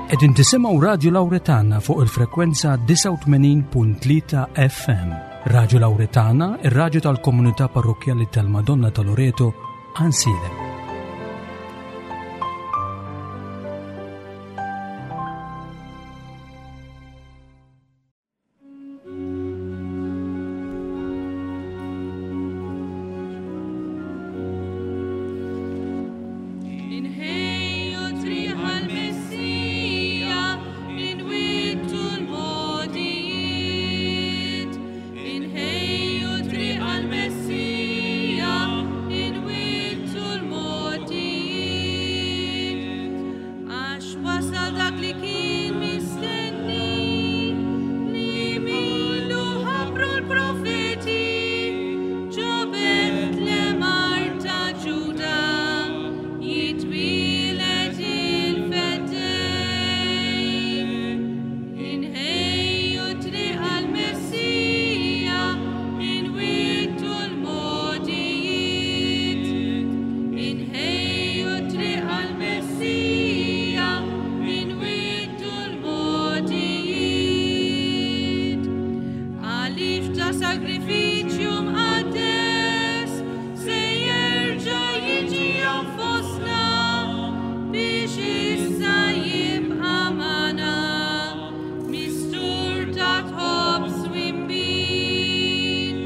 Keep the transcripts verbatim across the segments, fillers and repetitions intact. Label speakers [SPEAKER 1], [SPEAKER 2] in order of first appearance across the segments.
[SPEAKER 1] Qegħdin tisimgħu Radio Lauretana fuq il-frekwenza disgħa u tmenin punt tlieta F M. Radio Lauretana, ir-radju tal-komunità parrokkjali tal-Madonna ta' Loreto, Għajnsielem.
[SPEAKER 2] Inħejju triq għall-Messija, inwittu l-mogħdijiet. Inħejju triq għall-Messija, inwittu l-mogħdijiet. Għax wasal dak li kien mistenni, li minnu ħabbru l-profeti, ġo Betlem art ta' Ġuda, jitwieled il-Feddej. Inħejju triq għall-Messija, inwittu l-mogħdijiet. Inħejju triq għall-Messija, inwittu l-mogħdijiet. Għaliex ta' sagrifiċċju mqaddes se jerġa' jiġi fostna biex issa jibqa' magħna mistur ta' ħobż u nbid.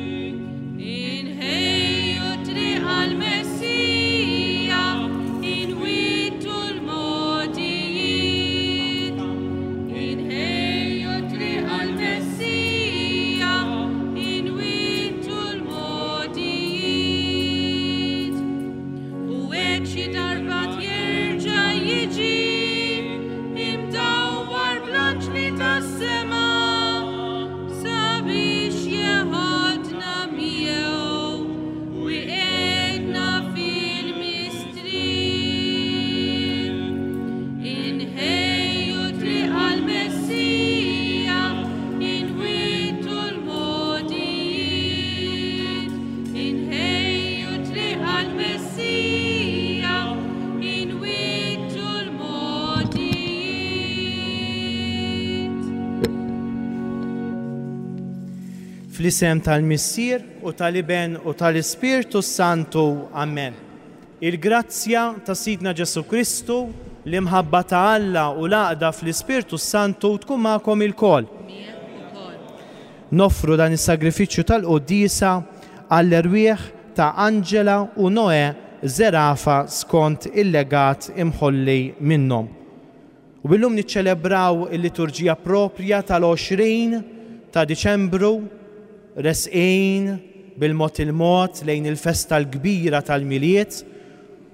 [SPEAKER 2] Inħejju triq għall-Messija, inwittu l-mogħdijiet. Inħejju triq għall-Messija, inwittu l-mogħdijiet. U hekk xi darba jerġa' jiġi imdawwar bl-anġli tas-sema sabiex jeħodna miegħu u jqegħedna fil-mistrieħ. Inħejju triq għall-Messija, inwittu l-mogħdijiet. Inħejju triq għall-Messija, inwittu l-mogħdijiet.
[SPEAKER 3] Fl-isem tal-Missier u tal-Iben u tal-Ispirtu Santu. Amen. Il-grazzja ta' Sidna Ġesu Kristu, l-imħabba ta' Alla u l-għaqda fl-Ispirtu Santu tkun magħkom ilkoll. Noffru dan is-sagrifiċċju tal-quddiesa għall-erwieħ ta' Angela u Noe Zerafa skont il-legat imħolli minnhom. U billum niċċelebraw il-liturġija propja tal-għoxrin ta' Diċembru, resqin bil-mod il-mod lejn il-festa l-kbira tal-Milied,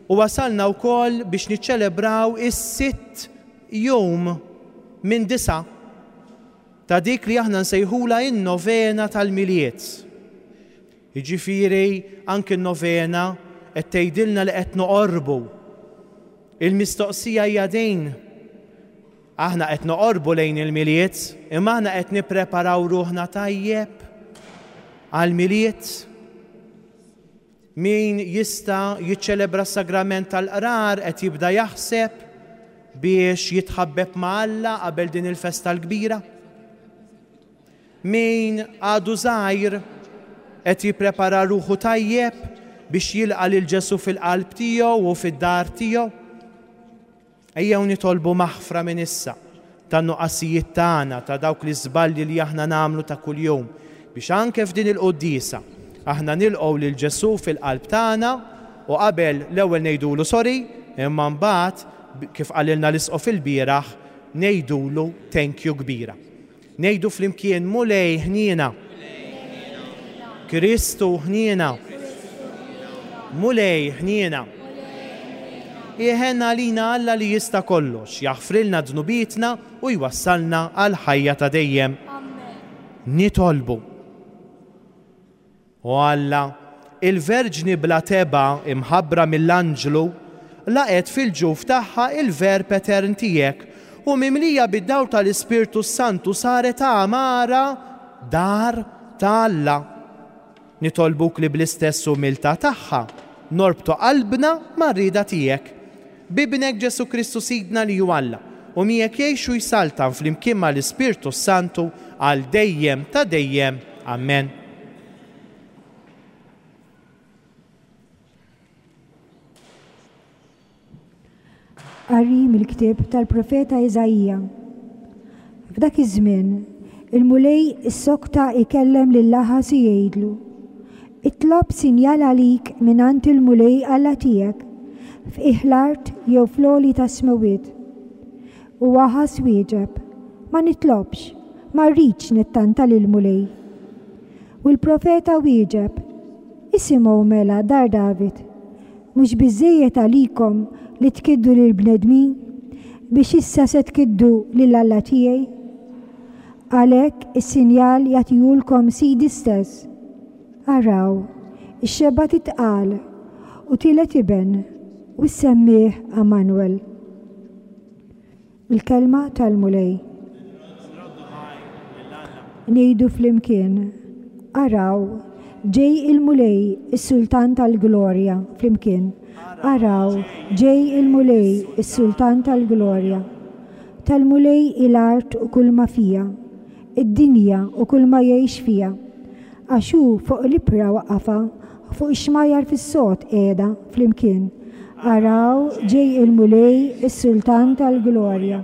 [SPEAKER 3] u wasalna wkoll biex niċċelebraw is-sitt jum minn disa ta' dik li aħna nsejħula in-novena tal-Milied. Jiġifieri anke n-novena qed tgħidilna li qed noqorbu. Il-mistoqsija hija din. Aħna qed noqorbu lejn il-Milied, imma aħna qed nippreparaw ruħna tajjeb għall-Milied. Min jista' jiċċelebra s-sagrament tal-qrar qed jibda jaħseb biex jitħabbeb ma' Alla qabel din il-festa l-kbira. Min għadu żgħir qed jipprepara ruħu tajjeb biex jilqa' lil Ġesu fil-qalb tiegħu u fid-dar tiegħu. Ejjew nitolbu maħfra minn issa tan-nuqqasijiet tagħna, ta' dawk l-iżbalji li aħna nagħmlu ta' kuljum, biex anke f'din il-quddiesa aħna nilqgħu lil Ġesu fil-qalb tagħna u qabel l-ewwel ngħidulu sorry, imma mbagħad kif qalilna l-isqof il-bieraħ ngħidulu thank you kbira. Ngħidu flimkien: Mulej ħniena. Kristu ħniena. Mulej ħniena. Iħenna għalina Alla li jista' kollox, jaħfrilna dnubietna u jwassalna għal ħajja ta' dejjem. Nitolbu. O Alla, il-Verġni bla tebgħa imħabbra mill-anġlu laqgħet fil-ġuf tagħha il-Verb etern tiegħek u mimlija bid-dawl tal-Ispirtu Santu saret għamara dar ta' Alla. Nitolbuk li bl-istess umiltà tagħha norbtu qalbna mar-rieda tiegħek. B'Ibnek Ġesu Kristu Sidna li hu Alla u miegħek jgħix u jsaltan flimkien mal-Ispirtu Santu għal dejjem ta' dejjem. Amen.
[SPEAKER 4] Qari mill-ktieb tal-profeta Iżaija. F'dak iż-żmien, il-Mulej issokta ikellem lil Aħaż u jgħidlu: Itlob sinjal għalik mingħand il-Mulej Alla tiegħek, f'qiegħ l-art jew fl-għoli tas-smewwiet. U Aħaż wieġeb: Ma nitlobx, ma rridx nittanta lill-Mulej. U l-profeta wieġeb: Isimgħu mela, dar David, mhux biżżejjed għalikom li tkiddu lill-bnedmin biex issa se tkiddu lil Alla tiegħi? Għalhekk is-sinjal jagħtihulkom Sidi stess. Araw, ix-xebgħa titqal u tielet iben u ssemmih Emmanuel. Il-kelma tal-Mulej. Ngħidu flimkien: Araw, ġej il-Mulej, is-Sultan tal-Glorja, flimkien. Araw, ġej il-Mulej, is-Sultan tal-Glorja. Tal-Mulej il-art u kull ma fija, id-dinja u kull ma jgħix fija. Għax hu fuq l-ibra waqqafha, fuq ix-xmajjar fis-sod qiegħda, flimkien. Araw, ġej il-Mulej, is-Sultan tal-Glorja.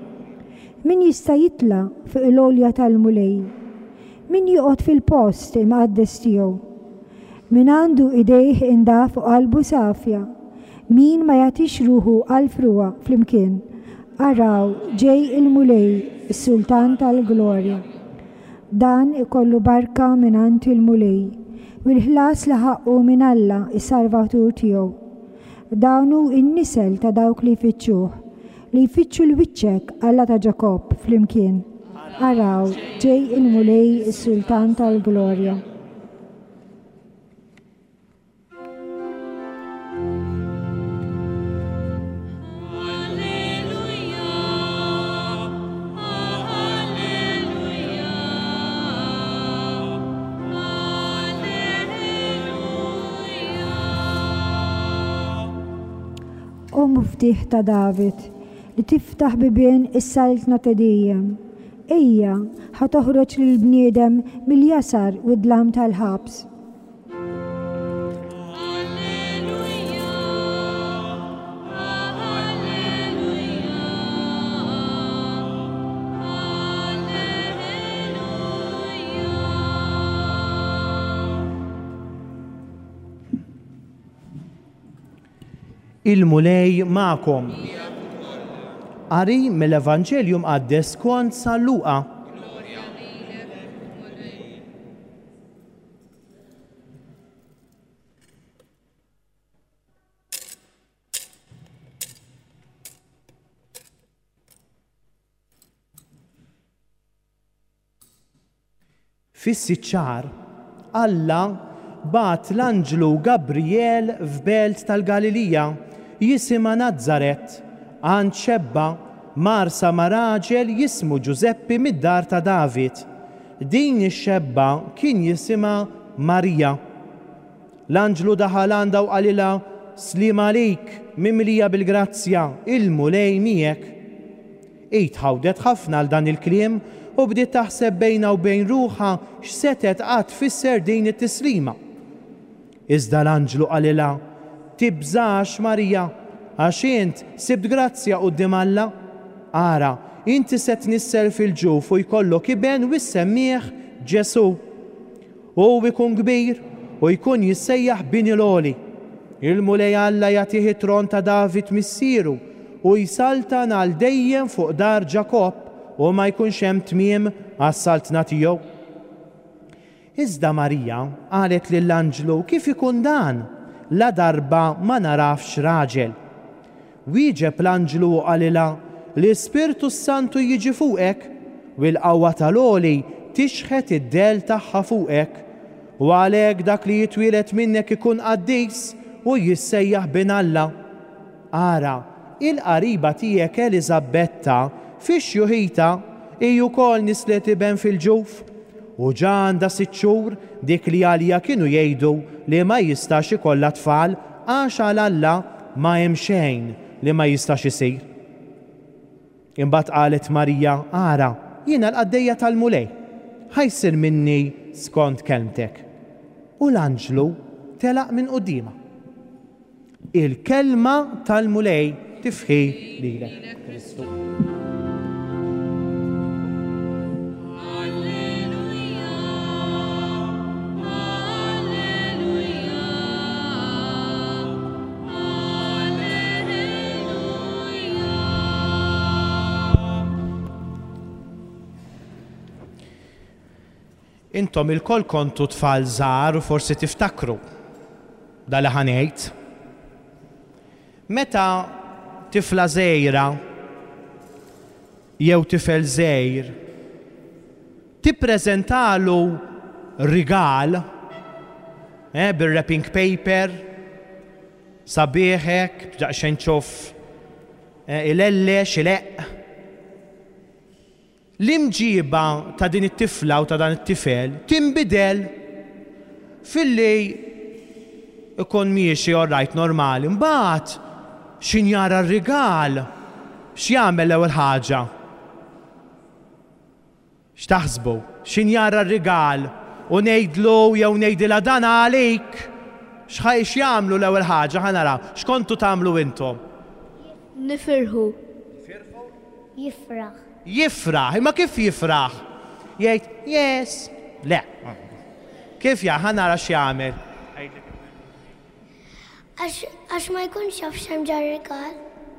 [SPEAKER 4] Min jista' jitla' fuq il-għolja tal-Mulej? Min joqgħod fil-post imqaddes tiegħu? Min għandu idejh indaf u qalbu safja? Min ma jagħtix ruħu għal frugħa, flimkien. Araw, ġej il-Mulej, is-Sultan tal-Glorja. Dan ikollu barka mingħand il-Mulej, u l-ħlas li ħaqqu minn Alla, is-Salvatur tiegħu. Dan hu n-nisel ta' dawk li jfittxuh, li jfittxu l-wiċċek, Alla ta' Ġakobb, flimkien. Araw, ġej il-Mulej, is-Sultan tal-Glorja. O muftieħ ta' David, li tiftaħ bibien is-saltna ta' dejjem. Ejja, ħa toħroġ lill-bniedem mill-jasar u d-dlam tal-ħabs.
[SPEAKER 2] Alleluja, alleluja, alleluja.
[SPEAKER 3] Il-Mulej magħkom. Qari mill-Evanġelju Mqaddes skont San Luqa. Fis-sitt xahar, Alla bagħat l-anġlu Gabriel f'belt tal-Galilija jisimha Nazaret, għand xebba marsa ma' raġel jismu Ġużeppi mid-dar ta' David. Din ix-xebba kien jisimha Marija. L-anġlu daħal għandha u qalilha: Slim għalik, mimlija bil-grazzja, il-Mulej miegħek. Hi tħawdet ħafna għal dan il-kliem u bdiet taħseb bejnha u bejn ruħha x'setet qatt tfisser din it-tislima. Iżda l-anġlu qalilha: Tibżax, Marija, għax int sibt grazzja quddiem Alla. Ara, inti se tnissel fil-ġuf u jkollok iben u ssemmih Ġesu. Hu jkun kbir u jkun jissejjaħ Bin il-Għoli. Il-Mulej Alla jagħtih it-tron ta' David missieru u jsaltan għal dejjem fuq dar Ġakobb u ma jkunx hemm tmiem għas-saltna tiegħu. Iżda Marija qalet lill-anġlu: Kif ikun dan? La darba ma narafx raġel. Wieġeb l-anġlu u qalilha: L-Ispirtu Santu jiġi fuqek u l-qawwa tal-Għoli tixħet id-del tagħha fuqek, u għalhekk dak li jitwieled minnek ikun qaddis u jissejjaħ bin Alla. Ara, il-qariba tiegħek Eliżabetta fix-xjuħita hi wkoll nislet iben fil-ġuf, u ġa għandha sitt xhur dik li għalija kienu jgħidu li ma jistax ikollha tfal, għax għal Alla ma hemm xejn li ma jistax isir. Imbagħad qalet Marija, ara, jiena l-qaddejja tal-Mulej, ħa jsir minni skont kelmtek. U l-anġlu telaq minn quddiemha. Il-kelma tal-Mulej. Tifħir lilek, Kristu.
[SPEAKER 2] Alleluja, Alleluja, Alleluja.
[SPEAKER 3] Intom ilkoll kontu tfal żgħar u forsi tiftakru dal ħa ngħid. Meta tifla żgħira jew tifel żgħir tippreżentalu rigal eh, bil-wrapping paper sabiħ hekk, daqsxejn ċoff eh, ilellex, ileqq. L-imġiba ta' din it-tifla u ta' dan it-tifel tinbidel filli ikun miexi all right normali. Mbagħad x'ħin jara r-rigal, x'jagħmel l-ewwel ħaġa? X'taħsbu? X'ħin jara r-rigal u ngħidlu jew ngħidilha dan għalik, x'ħaj x'jagħmlu l-ewwel ħaġa? Ħa naraw, x'kontu tagħmlu intom?
[SPEAKER 5] Nifirħu. Jifraħ.
[SPEAKER 3] Jifraħ, imma kif jifraħ? Jgħid, yes. Le. Kif ja, ħa nara x'jagħmel.
[SPEAKER 5] Għax għax ma jkunx jaf x'hemm ġar-rigal.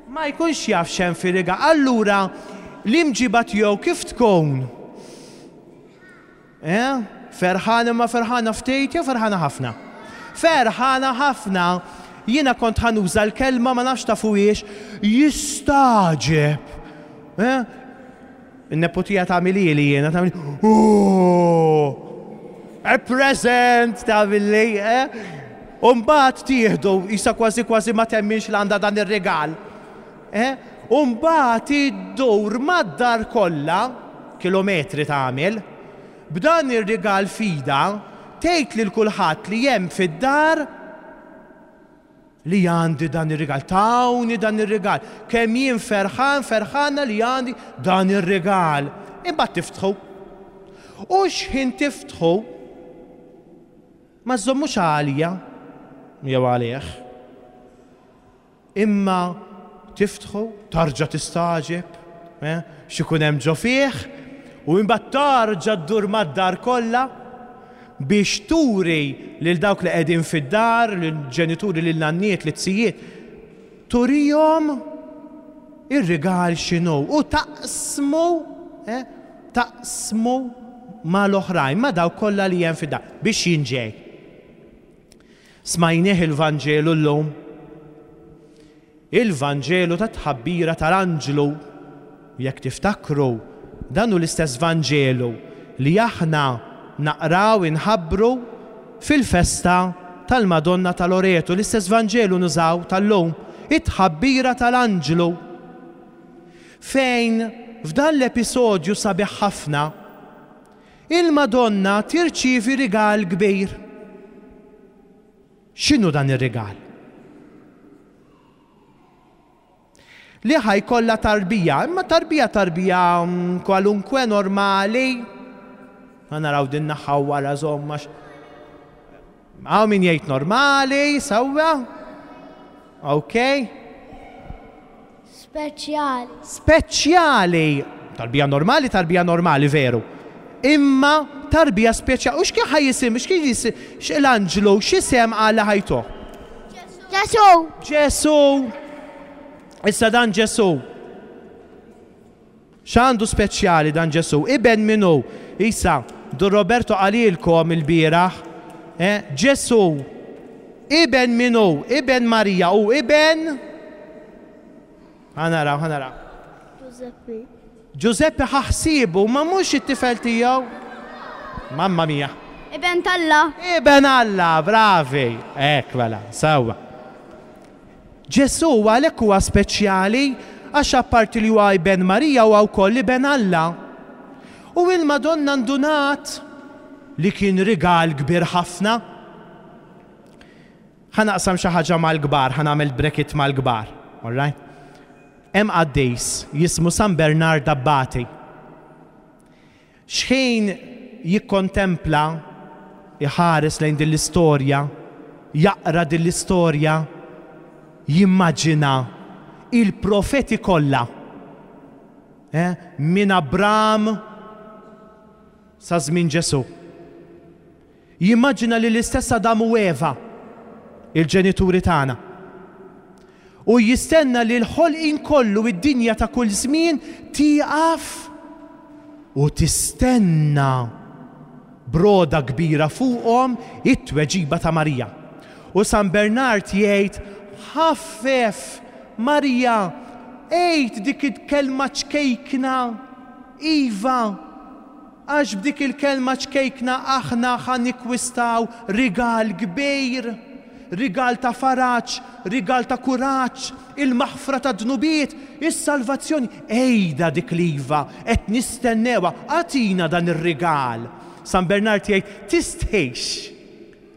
[SPEAKER 3] Ma jkunx jaf x'hemm fir-rigal. Allura, l-imġiba tiegħu kif tkun? Eh? Ferħana ma ferħana ftit jew ferħana ħafna? Ferħana ħafna. Jiena kont ħa nuża l-kelma ma nafx tafuhiex, jistagħġeb. Eh? In-neputija tagħmilli li jiena tagħmel, oh, a present tagħmilli, eh? U mbagħad tieħdu isa kważi kważi ma temminx li għandha dan ir-rigal. Eh? U mbagħad iddur mad-dar kollha, kilometri tagħmel, b'dan ir-rigal f'idha, tgħid lil kulħadd li hemm fid-dar li għandi dan ir-rigal, tawni dan ir-rigal, kemm jien ferħan, ferħana li għandi dan ir-rigal. Imbagħad tiftħu. U x'ħin tiftħu, ma żommux għalija jew għalih, imma tiftħu, tarġa' tistagħġeb, eh, x'ikun hemm ġo fih, u imbagħad tarġa' ddur mad-dar kollha biex turi lil dawk li qegħdin fid-dar, lil ġenituri, lil nanniet, lil zijiet, turihom ir-rigal x'inhu u taqsmu, eh, taqsmu mal-oħrajn, ma' dawk kollha li hemm fid-dar biex jinġej. Smajnieh il-Vanġelu llum. Il-Vanġelu ta' tħabbira tal-anġlu. Jekk tiftakru, dan hu l-istess Vanġelu li aħna naqraw inħabbru fil-festa tal-Madonna ta' Loreto. L-istess Vanġelu nużaw tal-lum, it-tħabbira tal-anġlu. Fejn f'dan l-episodju sabiħ ħafna, il-Madonna tirċievi rigal kbir. X'inhu dan ir-rigal? Li ħa jkollha tarbija, imma tarbija tarbija, mm, kwalunkwe normali. Ħa naraw din naħa wara żomma x-, Hawn min jgħid normali, sewwa? Ok.
[SPEAKER 5] Speċjali.
[SPEAKER 3] Speċjali. Tarbija normali, tarbija normali, veru. Imma tarbija speċjali. U x'kien ħa jisim, x'kien jisim, l-anġlu, x'isem għala ħajtu?
[SPEAKER 5] Ġesu.
[SPEAKER 3] Ġesu. Issa dan Ġesu. X'għandu speċjali dan Ġesu? Iben minnu? Isa, Dun Roberto qalilkom il-bieraħ. Eh, Ġesu, iben minnu? Iben Marija u iben? Ħa naraw, ħa naraw.
[SPEAKER 5] Giuseppe.
[SPEAKER 3] Giuseppe ħa ħsiebu, ma mhux it-tifel tiegħu. Mamma mia.
[SPEAKER 5] Iben t'Alla.
[SPEAKER 3] Iben Alla, bravi. Ek, mela, sewwa. Ġesu għalhekk huwa speċjali għax apparti li huwa iben Marija huwa wkoll iben Alla. U il-Madonna ndunat li kien rigal kbir ħafna. Ħa naqsam xi ħaġa mal-kbar, ħa nagħmel bracket mal-kbar. All right? Hemm qaddis jismu San Bernard Abbati. Xħin jikkontempla, iħares lejn din l-istorja, jaqra din l-istorja, jimmaġina il-profeti kollha. Eh? Minn Abram sa żmien Ġesù. Jimmaġina li l-istess Adam u Eva, il-ġenituri tagħna. U jistenna li l-ħolqien kollu, id-dinja ta' kull żmien, tieqaf u tistenna broda kbira fuqhom it-tweġiba ta' Marija. U San Bernard jgħid, ħaffef Marija, għid dik il-kelma ċkejkna, iva, għax b'dik il-kelma ċkejkna aħna ħa nikkwistaw rigal kbir, rigal ta' faraġ, rigal ta' kuraġġ, il-maħfra ta' dnubiet, is-salvazzjoni. Ejda dik l-iva, qed nistennewha, agħtina dan ir-rigal. San Bernard jgħid, tistħix,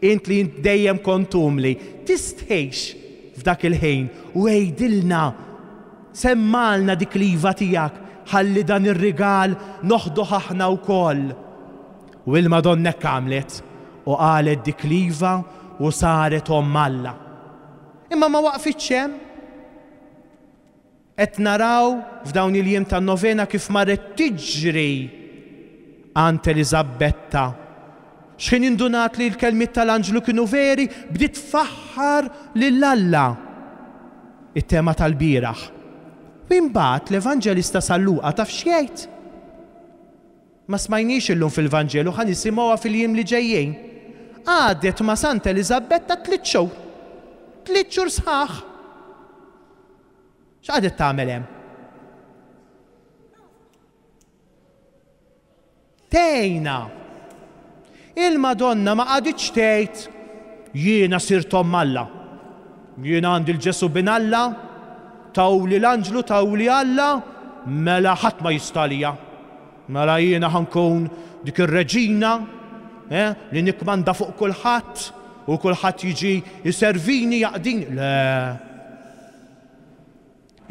[SPEAKER 3] int li int dejjem kont umli, tistħix f'dak il-ħin u għidilna, semmalna dik l-iva tiegħek, ħalli dan ir-rigal noħduh aħna wkoll. U il-Madonna hekk għamlet u qalet dik l-iva u saret omm Alla. Imma ma waqfitx hemm. Qed naraw f'dawn il-jiem tan-novena kif marret tiġri għand Eliżabetta. X'ħin indunat li l-kelmiet tal-anġlu kienu veri, bdiet tfaħħar lil Alla. It-tema tal-bieraħ. U imbagħad l-Evanġelista San Luqa taf x'jgħid? Ma smajniex illum fil-Vanġelu, ħa nisimgħuha fil-jiem li ġejjin. Għadet ma' Santa Eliżabetta tliet xhur. Tliet xhur sħaħ. X'qagħdet tagħmel hemm? Tgħinha. Il-Madonna ma qagħditx tgħid jiena sirt omm Alla. Jiena għandi l-Ġesu bin Alla, tawli l-anġlu, tawli Alla, mela ħadd ma jista' għalija. Mela jiena ħankun dik ir-reġina, eh, li nikmanda fuq kulħadd u kulħadd jiġi jservini, jaqdini. Le.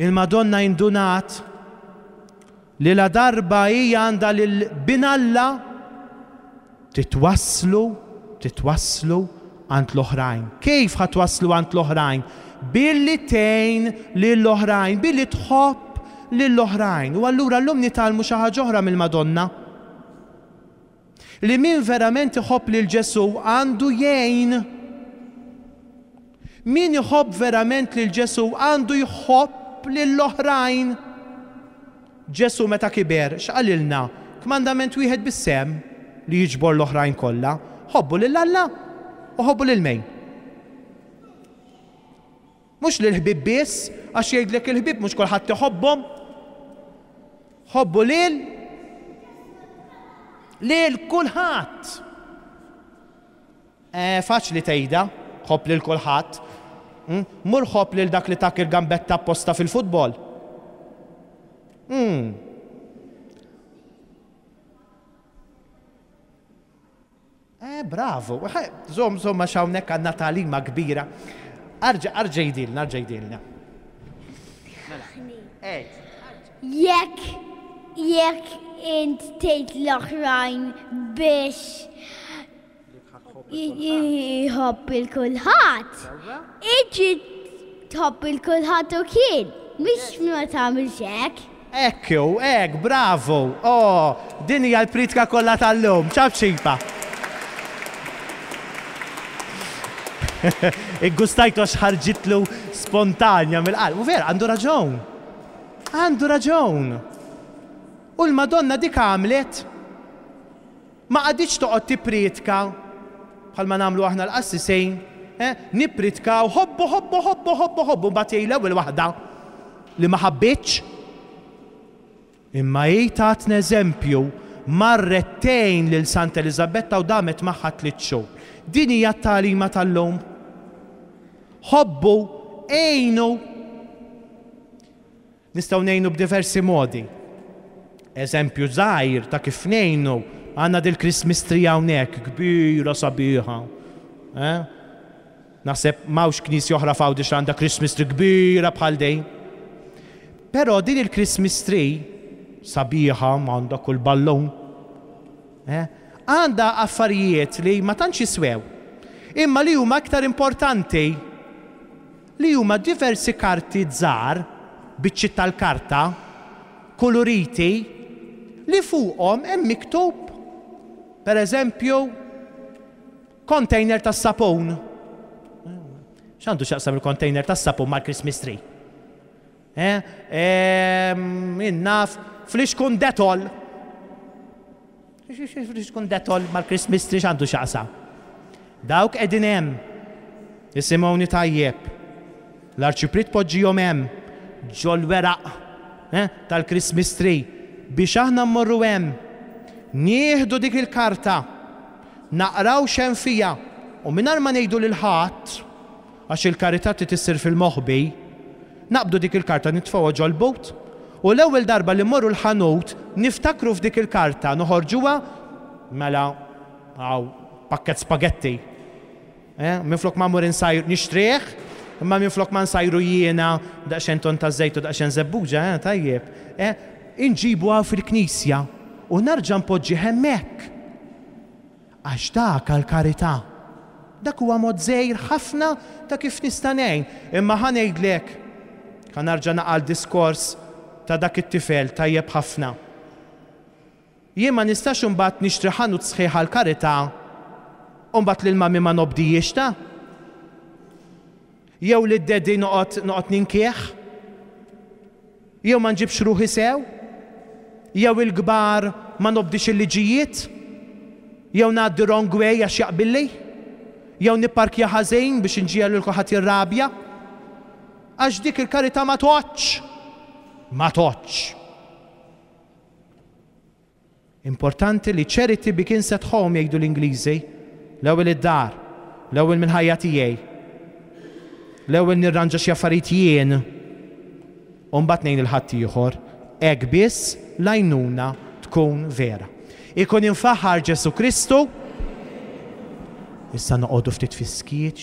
[SPEAKER 3] Il-Madonna indunat li la darba hija għandha lil bin Alla titwasslu, titwasslu għand l-oħrajn. Kif ħa twasslu għand l-oħrajn? Billi tgħin lill-oħrajn, billi tħobb lill-oħrajn. U allura llum nitgħallmu xi ħaġa oħra mill-Madonna. Li min verament iħobb lil Ġesù għandu jgħin. Min iħobb verament lil Ġesù għandu jħobb lill-oħrajn. Ġesù meta kiber, x'qalilna? Kmandament wieħed bis-sem li jiġbor l-oħrajn kollha. Ħobbu lil Alla u ħobbu lil min? Mhux lil ħbieb biss, għax jgħidlek il-ħbieb mhux kulħadd iħobbhom. Ħobbu lil lil kulħadd. Eh, faċli tgħidha, ħobb lil kulħadd. Hmm? Mur ħobb lil dak li tak il-gambetta apposta fil-futbol. Hmm. Eh, bravo. Żomm, żomm, għax hawnhekk għandna tagħlima kbira. Arġa, arġa jdilna, arġa jdilna. Mela. Ejt.
[SPEAKER 5] Jekk, jekk int tgħid l-oħrajn biex jħobb il-kulħadd, inti tħobb il-kulħadd u kien, mhux ma tagħmilx hekk.
[SPEAKER 3] Ekku, hekk, bravo. Oh, din hija l-pritka kollha tal-lum. Ċab ċipa. Iggustajtu għax ħarġitlu spontanja mill-qalb. U vera, għandu raġun. Għandu raġun. U l-Madonna dik għamlet. Ma qagħditx toqgħod tippriedka bħalma nagħmlu aħna l-qassisejn, eh, nippritkaw ħobbu, ħobbu, ħobbu, ħobbu, ħobbu, mbagħad jgħid l-ewwel waħda li ma ħabbitx. Imma hi tatna eżempju, marret tgħin lil Santa Eliżabetta u damet magħha tliet xhur. Din hija t-tagħlima tal-lum. Ħobbu, għinu. Nistgħu ngħinu b'diversi modi. Eżempju żgħir ta' kif ngħinu, għandna dil-Christmas tree hawnhekk, kbira sabiħa. Eh? Naħseb m'hawnx knisja oħra f'Għawdex għandha Christmas tree kbira bħal dejn. Però din il-Christmas tree, sabiħa, għandha kull ballun, eh, għandha affarijiet li ma tantx jiswew, imma li huma aktar importanti, li huma diversi karti żgħar, biċċiet tal-karta, koloriti, li fuqhom hemm miktub, per eżempju, container tas-sapun. X'għandu x'jaqsam il-container tas-sapun mal-Christmas tree? Eh? Ehm, Innaf, flixkun Dettol. Flixkun Dettol mal-Christmas tree x'għandu x'jaqsam? Dawk qegħdin hemm. Isimgħuni tajjeb. L-arċipriet poġġihom hemm ġol-weraq eh, tal-Christmas tree biex aħna mmorru hemm. Nieħdu dik il-karta, naqraw x'hemm fiha u mingħajr ma ngħidu lil ħadd, għax il-karità trid issir fil-moħbi, naqbdu dik il-karta nitfgħuha ġol-but u l-ewwel darba li mmorru l-ħanut niftakru f'dik il-karta, noħorġuha mela għaw pakket spaghetti. Eh, minflok ma mmur insajr nixtrih, imma minflok ma nsajru jiena daqsxejn ton ta' żejt u daqsxejn żebbuġa, eh, tajjeb. Eh, inġibu għaw fil-knisja u narġa' npoġġi hemmhekk. Għax dak għall-karità. Dak huwa mod żgħir ħafna ta' kif nista' ngħin. Imma ħa ngħidlek, ħa narġa' naqal diskors ta' dak it-tifel tajjeb ħafna. Jien ma nistax imbagħad nixtri ħanut sħiħ għall-karità u mbagħad lil mami ma nobdijiex ta'. Jew li d-daddy noqgħod noqgħod ninkieħ. Jew ma nġibx ruħi sew. Jew il-kbar ma nobdix il-liġijiet. Jew ngħaddi wrong way għax jaqbilli. Jew nipparkja ħażin biex inġiegħel lil kulħadd jirrabja. Għax dik il-karità ma toqgħodx. Ma toqgħodx. Importanti li charity begins at home jgħidu l-Ingliżi. L-ewwel id-dar, l-ewwel mill-ħajja tiegħi. L-ewwel nirranġa xi affarijiet jien u mbagħad ngħin il-ħaddieħor. Hekk biss l-għajnuna tkun vera. Ikun infaħar Ġesu Kristu. Issa noqogħdu ftit fis-skiet.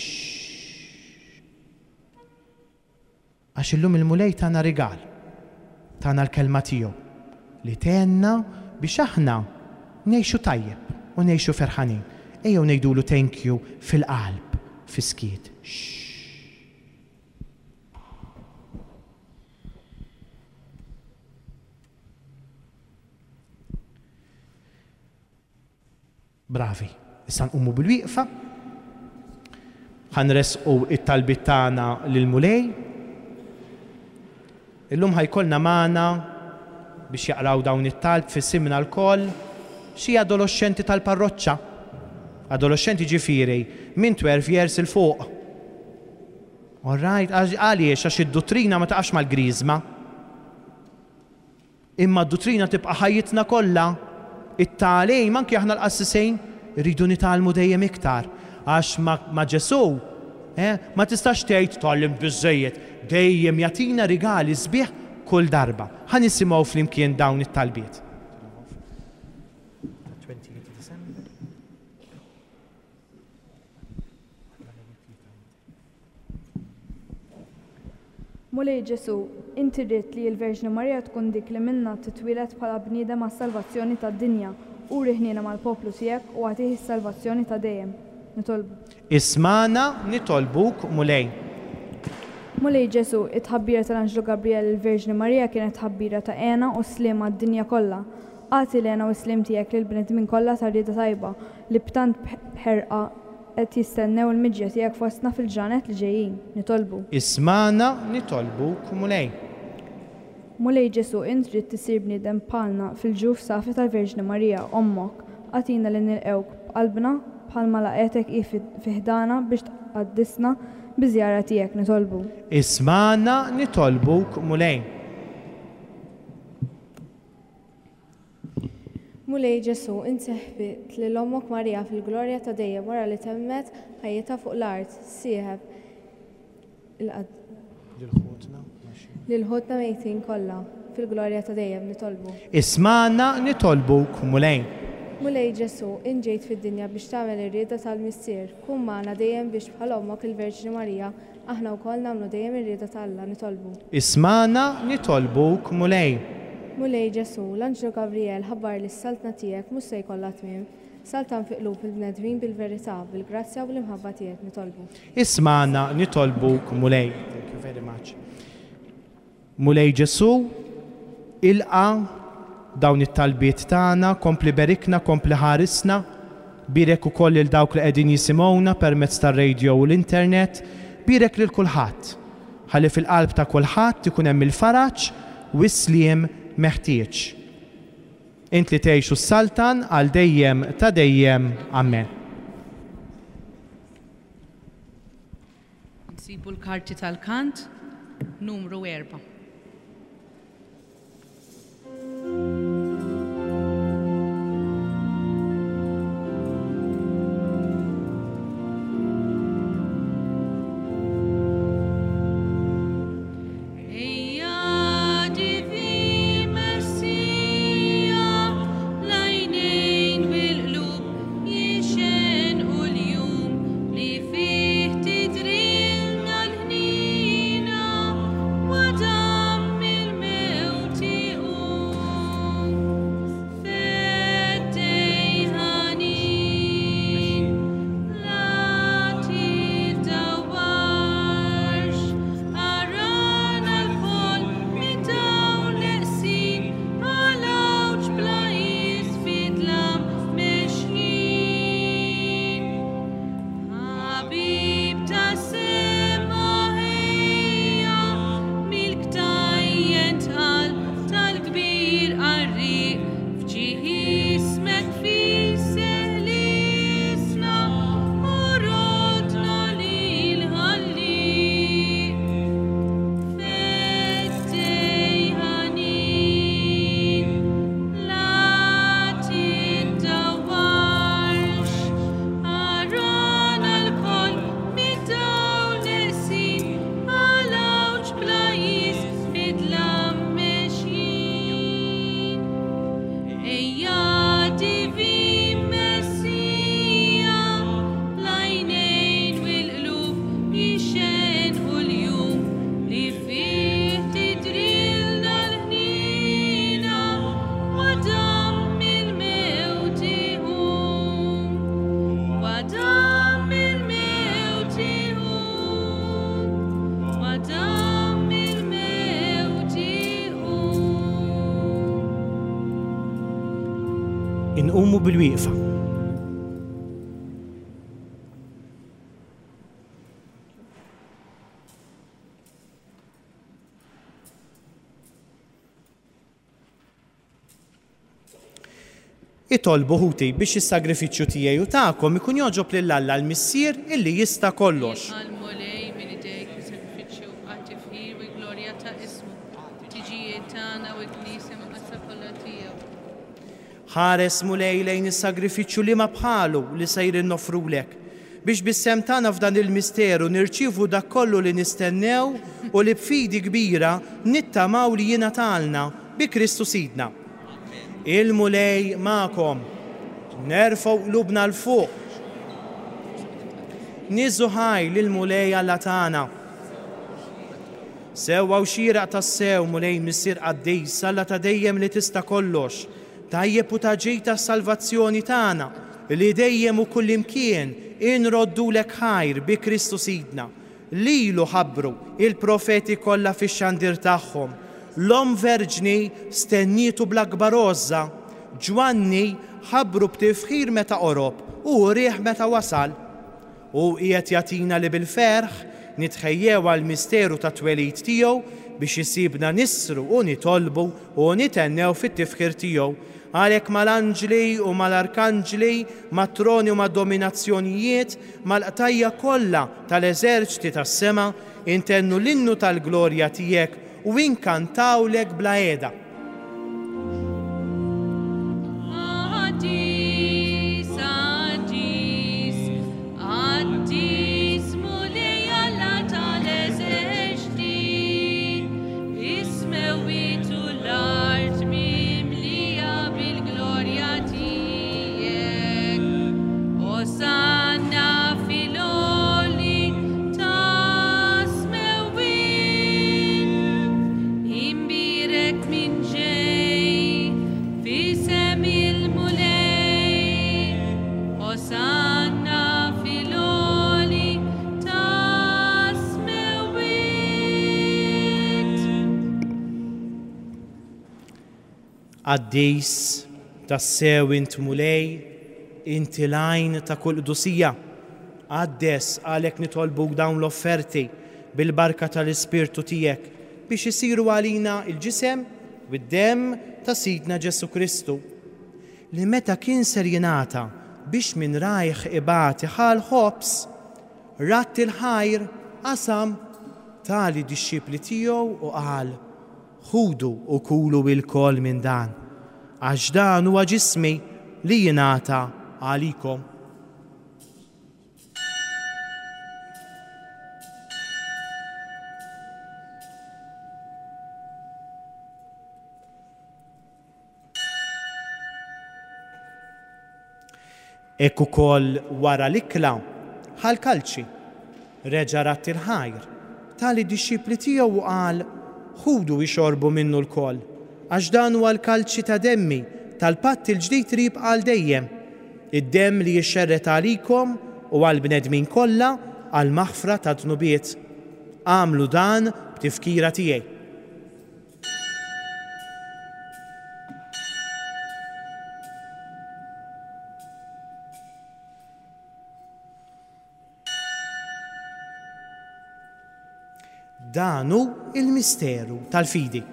[SPEAKER 3] Għax illum il-Mulej tana rigal, tana l-kelma tiegħu li tgħinna biex aħna ngħixu tajjeb u ngħixu ferħanin. Ejjew ngħidulu thank you fil-qalb, fis-skiet. Bravi. Issa nqumu bil-wieqfa. Ħa nressqu it-talbiet tagħna lill-Mulej. Illum ħajkollna magħna biex jaqraw dawn it-talb f'isimna lkoll xi adolescenti tal-parroċċa. Adolescenti ġifieri minn twelve years il fuq. All right, għaliex għax id-duttrina ma taqax mal-griżma. Imma d-duttrina tibqa' ħajjitna kollha. It-tagħlim anki aħna l-qassisin rridu nitgħallmu dejjem iktar. Għax ma' Ġesù, eh, ma tistax tgħid tgħallim biżżejjed, dejjem jagħtina rigali sbieħ kull darba. Ħa nisimgħu flimkien dawn it-talbiet.
[SPEAKER 6] Mulej Ġesù, inti ridt li l-Verġni Marija tkun dik li minna titwieled bħala bniedem għas-salvazzjoni tad-dinja. Uri ħniena mal-poplu tiegħek u agħtih is-salvazzjoni ta' dejjem. Nitolbu.
[SPEAKER 3] Ismana nitolbuk, Mulej.
[SPEAKER 6] Mulej Ġesù, it-tħabbira tal-Anġlu Gabriel il-Verġni Marija kienet tħabbira ta' hena u sliem għad-dinja kollha. Agħti l-hena u s-sliem tiegħek lill-bnedmin kollha tar-rieda tajba li b'tant ħerqa qed jistennew il-miġja tiegħek fostna fil-ġranet li ġejjin. Nitolbu.
[SPEAKER 3] Ismana nitolbuk, Mulej.
[SPEAKER 6] Mulej Ġesù, int trid tisir bniedem bħalna fil-ġuf safi tal-Verġni Marija, ommok. Agħtina li nilqewk b'qalbna bħalma laqgħetek hi fi ħdana biex tqaddisna biż-żjara tiegħek. Nitolbu.
[SPEAKER 3] Ismana nitolbuk, Mulej.
[SPEAKER 7] Mulej Ġesù, int seħbit lil ommok Marija fil-glorja ta' dejjem wara li temmet ħajjitha fuq l-art, sieħeb lil ħutna mejtin kollha fil-glorja ta' dejjem. Nitolbu.
[SPEAKER 3] Ismana nitolbuk, Mulej.
[SPEAKER 7] Mulej Ġesù, int ġejt fid-dinja biex tagħmel ir-rieda tal-Missier, kun magħna dejjem biex bħal ommok il-Verġni Marija Aħna wkoll nagħmlu dejjem ir-rieda ta' Alla, nitolbu.
[SPEAKER 3] Ismagħna, nitolbuk, Mulej.
[SPEAKER 7] Mulej Ġesù, l-Anġlu Gabriel ħabbar li s-saltna tiegħek mhux se jkollha tmiem. Saltan fi qlub il-bnedmin bil-verità, bil-grazzja u bl-imħabba tiegħek, nitolbu.
[SPEAKER 3] Ismagħna, nitolbuk, Mulej. Thank you very much. Mulej Ġesù, ilqa dawn it-talbiet tagħna, kompli berikna, kompli ħarisna, birek ukoll lil dawk li qegħdin jisimgħuna permezz tar-radio u l-internet, birek lil kulħadd. Ħalli fil-qalb ta' kulħadd ikun hemm il-faraġ u s-sliem meħtieġ. Int li tgħix u s-saltan għal dejjem ta' dejjem. Amen.
[SPEAKER 2] Nsibu l-karti tal-kant numru erba'.
[SPEAKER 3] Inqumu bil-wieqfa. Itolbu ħuti biex is-sagrifiċċju tiegħi u tagħkom ikun jogħġob lil Alla l-Missier illi jista' kollox.
[SPEAKER 2] Għall-Mulej minn idejk is-sagrifiċċju għat-tifħir u l-glorja ta' ismu, tiġijiet tagħna u l-Knisja mqaddsa kollha tiegħu.
[SPEAKER 3] Ħares Mulej lejn is-sagrifiċċju li ma bħalu li sejrin nofrulek, biex bis-sehem tagħna f'dan il-misteru nirċievu dak kollu li nistennew u li b'fidi kbira nittamaw li jingħatalna bi Kristu Sidna. Il-Mulej magħkom, nerfgħu qlubna 'l fuq. Niżżu ħaj lill-Mulej Alla tagħna. Sewwa u xieraq tassew, Mulej Missier Qaddis, Alla ta' dejjem li tista' kollox, tajjeb u ta' ġid tas-salvazzjoni tagħna, li dejjem u kullimkien inroddulek ħajr bi Kristu Sidna. Lilu ħabbru il-profeti kollha fix-xandir tagħhom. L-Omm Verġni stennietu bl-akbar għożża. Ġwanni ħabbru b'tifħir meta qorob u rieħ meta wasal. U qiegħed jagħtina li bil-ferħ nitħejjew għall-misteru ta' twelid tiegħu biex isibna nisru u nitolbu u nitennew fit-tifħir tiegħu. Għalhekk mal-anġli u mal-arkanġli, mat-troni u mad-dominazzjonijiet, mal-qtajja kollha tal-eżerċti tas-sema, intennu l-innu tal-glorja tiegħek u inkantawlek bla qiegħda.
[SPEAKER 2] Qaddis, qaddis, qaddis, Mulej Alla tal-eżerċti, is-smewwiet u l-art mimlija bil-glorja tiegħek. Osanna fil-għoli tal-għoli.
[SPEAKER 3] Qaddis, tassew int Mulej, inti l-għajn ta' kull qdusija. Qaddes għalhekk nitolbuk dawn l-offerti bil-barka tal-Ispirtu tiegħek biex isiru għalina il-ġisem u d-demm ta' Sidna Ġesù Kristu, li meta kien ser jingħata biex minn rajh ibati ħa l-ħobż, radd il-ħajr, qasam, ta lid-dixxipli tiegħu u qal: Ħudu u kulu ilkoll minn dan, għax dan huwa ġismi li jingħata għalikom. Hekk ukoll wara l-ikla ħa l-kalċi, reġa' radd il-ħajr, ta lid-dixxipli tiegħu u qal: Ħudu ixorbu minnu lkoll, għax dan huwa l-kalċi ta' demmi, tal-patt il-ġdid li jibqa' għal dejjem, id-demm li jixxerred għalikom u għall-bnedmin kollha għall-maħfra ta' dnubiet. Agħmlu dan b'tifkira tiegħi. Dan hu il-misteru tal-fidi.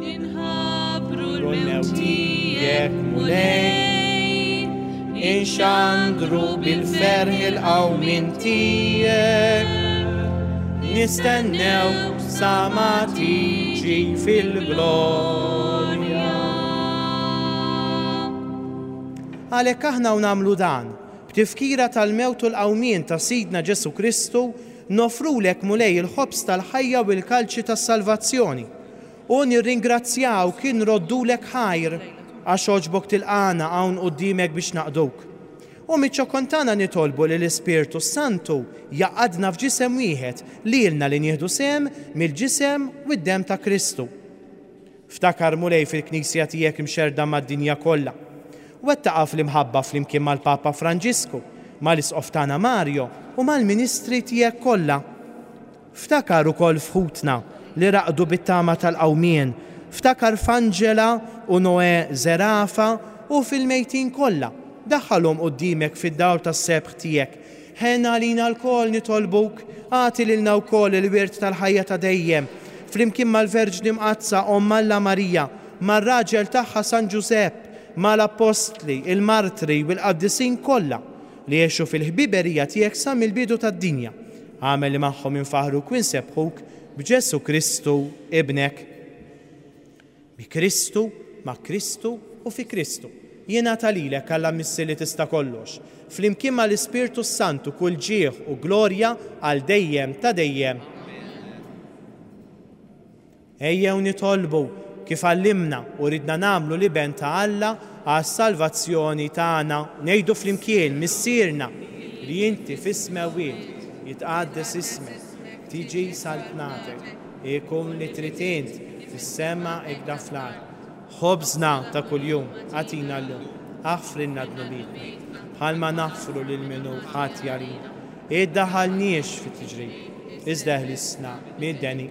[SPEAKER 2] Inħabbru l-mewt tiegħek, Mulej,
[SPEAKER 3] inxandru bil-ferħ il-qawmien tiegħek, nistennew sa ma tiġi fil-glorja. Għalhekk aħna u nagħmlu dan, b'tifkira tal-mewt u l-qawmien ta' Sidna Ġesù Kristu, nofrulek Mulej il-ħobż tal-ħajja u l-kalċi tas-salvazzjoni. U nirringrazzjawk inroddulek ħajr għax għoġbok tilqana hawn quddiemek biex naqduk. U miċ-ċokon tagħna nitolbu li l-Ispirtu Santu jaqadna f'ġisem wieħed lilna li nieħdu sehem mill-ġisem u d-demm ta' Kristu. Ftakar Mulej fil-Knisja tiegħek imxerda mad-dinja kollha. Wettaqa fl-imħabba flimkien mal-Papa Franġisku, mal-Isqof tagħna Mario u mal-ministri tiegħek kollha. Ftakar ukoll f'ħutna li raqdu bit-tama tal-qawmien, ftakar f'Angela u Noè Zerafa u fil-mejtin kollha. Daħħalhom quddiemek fid-dawl tas-sebħ tiegħek. Ħenna għalina lkoll nitolbuk, agħti lilna wkoll il-wirt tal-ħajja ta' dejjem, flimkien mal-Verġni Mqaddsa Omm Alla Marija, mar-raġel tagħha San Ġużepp, mal-Appostli, il-Martri u l-Qaddisin kollha li għexu fil-ħbiberija tiegħek sa mill-bidu tad-dinja. Agħmel li magħhom infaħruk u nsebħuk b'Ġesù Kristu ibnek. Bi Kristu, ma' Kristu u fi Kristu. Jingħata lilek Alla Missier li tista' kollox, flimkien mal-Ispirtu Santu kull ġieħ u glorja għal dejjem ta' dejjem. Ejjew nitolbu kif għallimna u ridna nagħmlu l-Iben ta' Alla għas-salvazzjoni tagħna. Ngħidu flimkien: Missierna li inti fis-smewwiet, jitqaddes ismek, tiġi saltnatek, ikun li trid int fis-sema ikda fl-art. Ħobżna ta' kuljum agħtina llum, aħfrilna dnubietna bħalma naħfru lil min hu ħati għalina. Iddaħħalniex fit-tiġrib, iżda eħlisna mid-deni.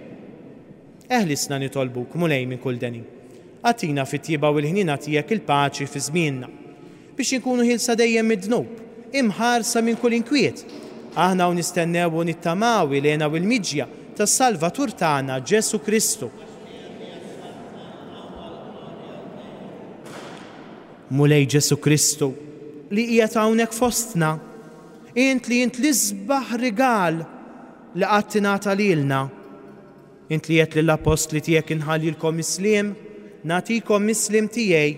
[SPEAKER 3] Eħlisna nitolbuk, Mulej, minn kull deni. Agħtina fit-tjieba u l-ħniena tiegħek il-paċi fi żmienna, biex inkunu ħilsa dejjem mid-dnub, imħarsa minn kull inkwiet. Aħna u nistennew u nittamaw il-hena u l-miġja tas-Salvatur tagħna Ġesù Kristu. Mulej Ġesù Kristu, li qiegħed hawnhekk fostna, int li int l-isbaħ rigal li qatt ingħata lilna. Int li għedt lill-appostli tiegħek inħallilkom is-sliem, nagħtikom is-sliem tiegħi,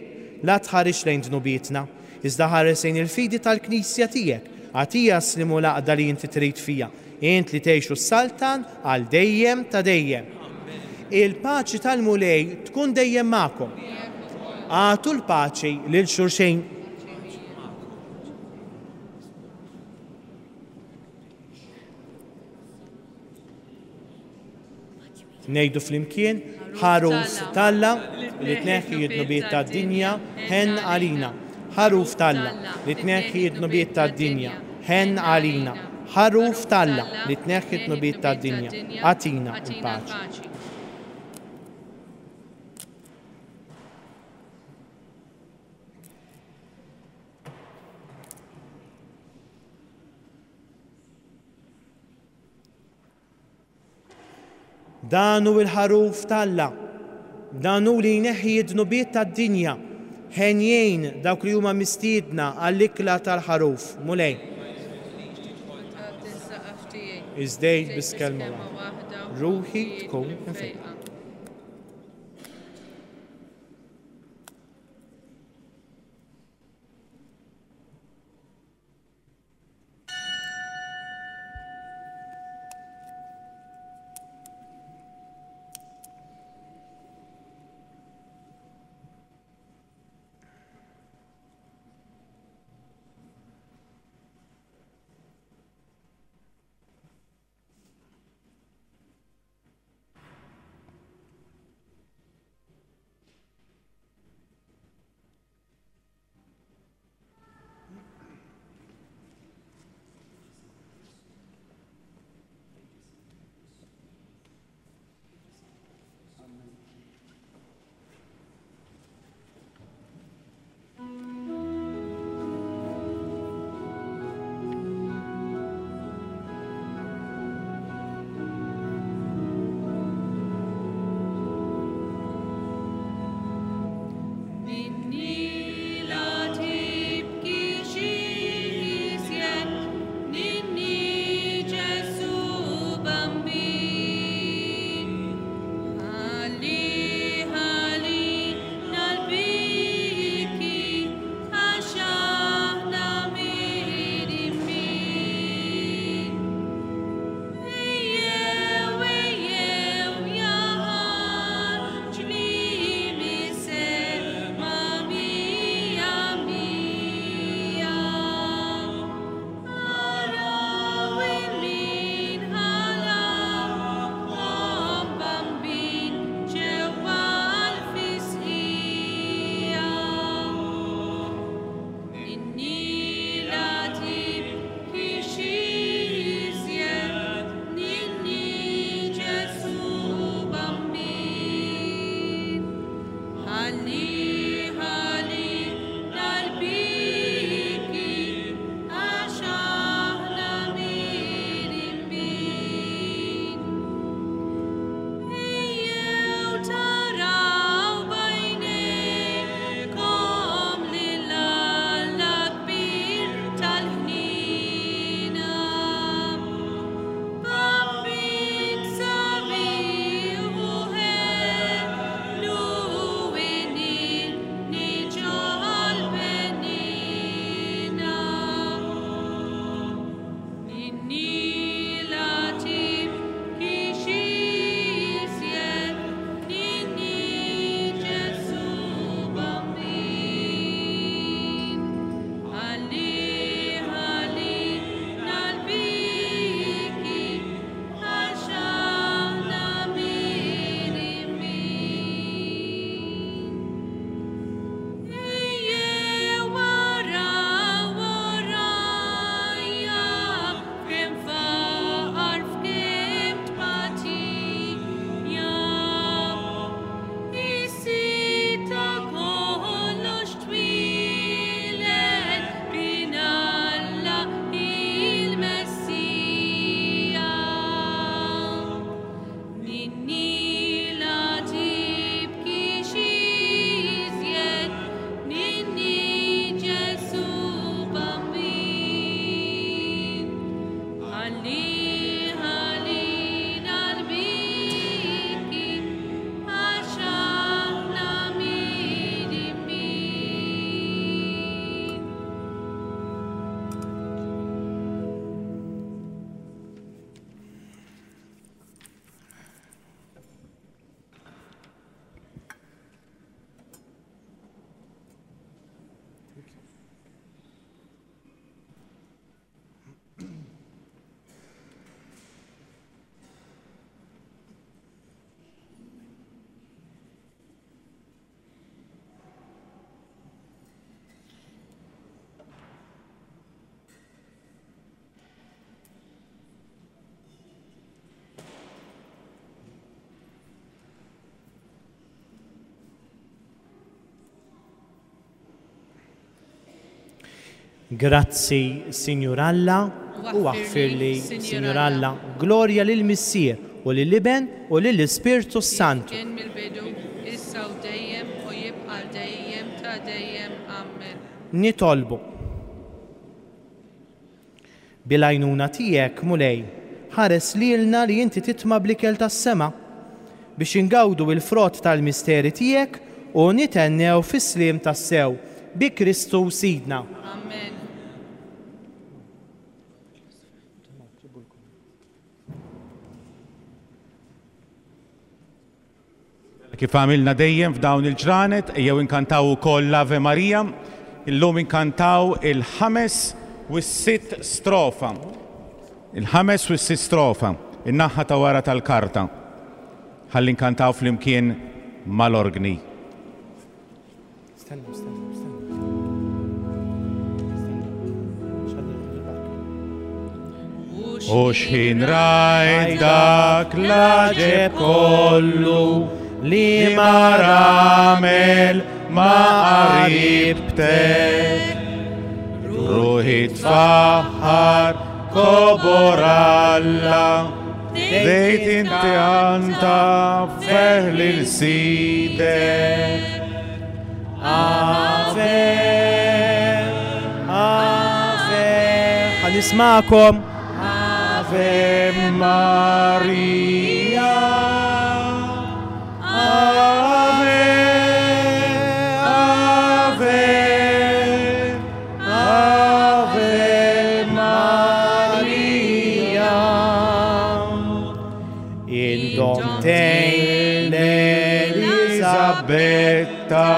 [SPEAKER 3] la tħares lejn dnubietna, iżda ħares lejn il-fidi tal-Knisja tiegħek. Agħtiha s-sliem u l-għaqda li inti trid fija, int li tgħix u s-saltan għal dejjem ta' dejjem. Il-paċi tal-Mulej tkun dejjem magħkom. Agħtu l-paċi lil xulxin. Ngħidu flimkien: ħaruf t'Alla li tneħħi d-dnubiet tad-dinja, ħenn għalina. Ħaruf t'Alla li tneħħi d-dnubiet tad-dinja, ħenn għalina. Ħaruf t'Alla li tneħħi d-dnubiet tad-dinja, agħtina l-paċi. Dan hu l-ħaruf t'Alla, dan hu li jneħħi d-dnubiet tad-dinja. Henjejn dawk li huma mistiedna għall-ikla tal-ħaruf. Mulej. Iżdejt biss kelma waħda, ruħi tkun imfejqa. Grazzi, Signor Alla, u aħfirli, Signor Alla. Glorja lil Missier u lill-Iben u lill-Ispirtu s-Santu.
[SPEAKER 2] Kien mill-bidu, issa u dejjem u jibqa' dejjem ta' dejjem. Amen.
[SPEAKER 3] Nitolbu. Bil-għajnuna tiegħek, Mulej, ħares lilna li inti titma' bl-ikel tas-sema biex ingawdu il-frott tal-misteri tiegħek u nithennew fis-sliem tassew bi Kristu Sidna.
[SPEAKER 2] Amen.
[SPEAKER 8] Kif għamilna dejjem f'dawn il-ġranet, jew inkantaw ukoll l-Ave Maria, illum inkantaw il-ħames u s-sitt strofa. Il-ħames u s-sitt strofa, in-naħa ta' wara tal-karta. Ħalli nkantaw flimkien mal-orgni.
[SPEAKER 3] Stennu, stennu, stennu.
[SPEAKER 8] U xħin rajt dak l-għaġeb kollu li ma ramel ma qaribtek, ruħi tfaħħar kobor Alla, dejt inti anta ferħ lil Sidek.
[SPEAKER 3] Ave, Ave, ħa nismakom.
[SPEAKER 8] Ave Maria, Ave, Ave, Ave Maria.
[SPEAKER 3] Indomtejn
[SPEAKER 8] Elisabetta,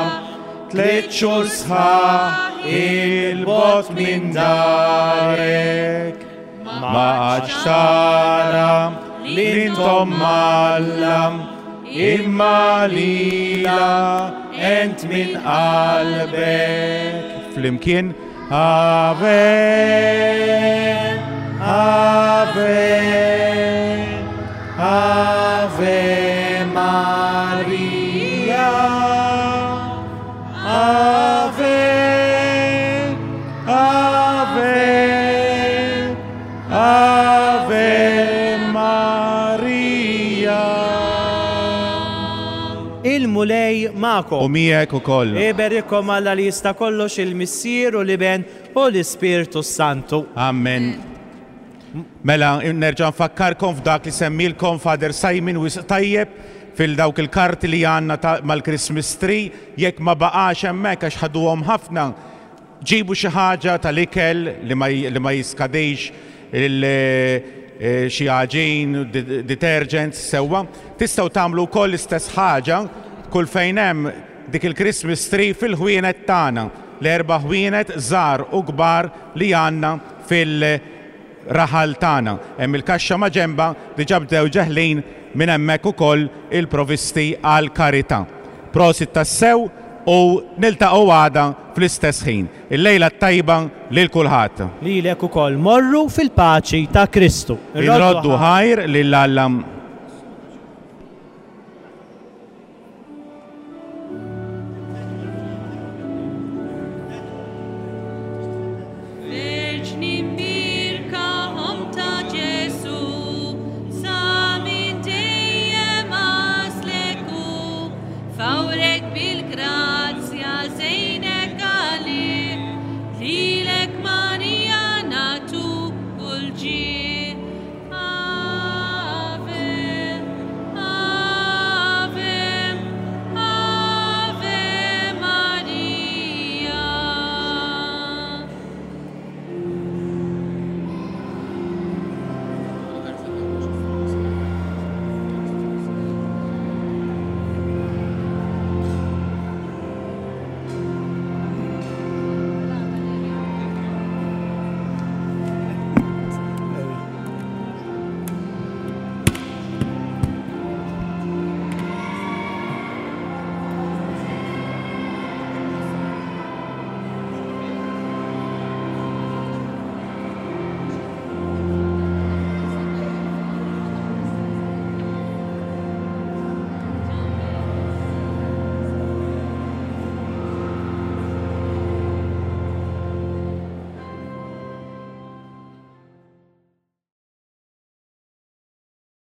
[SPEAKER 8] tliet xhur sħaħ il-bogħod minn darek, ma għadx tara li intom Alla, imma lila ent minn qalbek. Flimkien, Ave, Ave,
[SPEAKER 3] Ave Maria,
[SPEAKER 8] Ave, Ave, Ave Maria.
[SPEAKER 3] Il-Mulej
[SPEAKER 8] U
[SPEAKER 3] magħkom.
[SPEAKER 8] miegħek ukoll.
[SPEAKER 3] Iberikkom Alla li jista' kollox, il-Missier u l-Iben u l-Ispirtu s-Santu.
[SPEAKER 8] Amen. Mela, nerġa' nfakkarkom f'dak li semmilkom Father Simon wisq tajjeb fil-dawk il-karti li għandna ta' mal-Christmas tree, jekk ma baqax hemmhekk għax ħaduhom ħafna, ġibu xi ħaġa tal-ikel li ma j-, li ma jiskadix, il-, eh, xi għaġin, di-, detergents, sewwa. Tistgħu tagħmlu wkoll l-istess ħaġa kull fejn hemm dik il-Christmas tree fil-ħwienet tagħna, l-erba' ħwienet żgħar u kbar li għandna fil-raħal tagħna. Hemm il-kaxxa ma' ġemba diġà bdew ġeħlin minn hemmhekk ukoll il-provisti għal karità. Prosit tassew u niltaqgħu għada fl-istess ħin. Il-lejla t-tajba lil kulħadd.
[SPEAKER 3] Lilek ukoll morru fil-paċi ta' Kristu.
[SPEAKER 8] Inroddu ħajr lil Alla.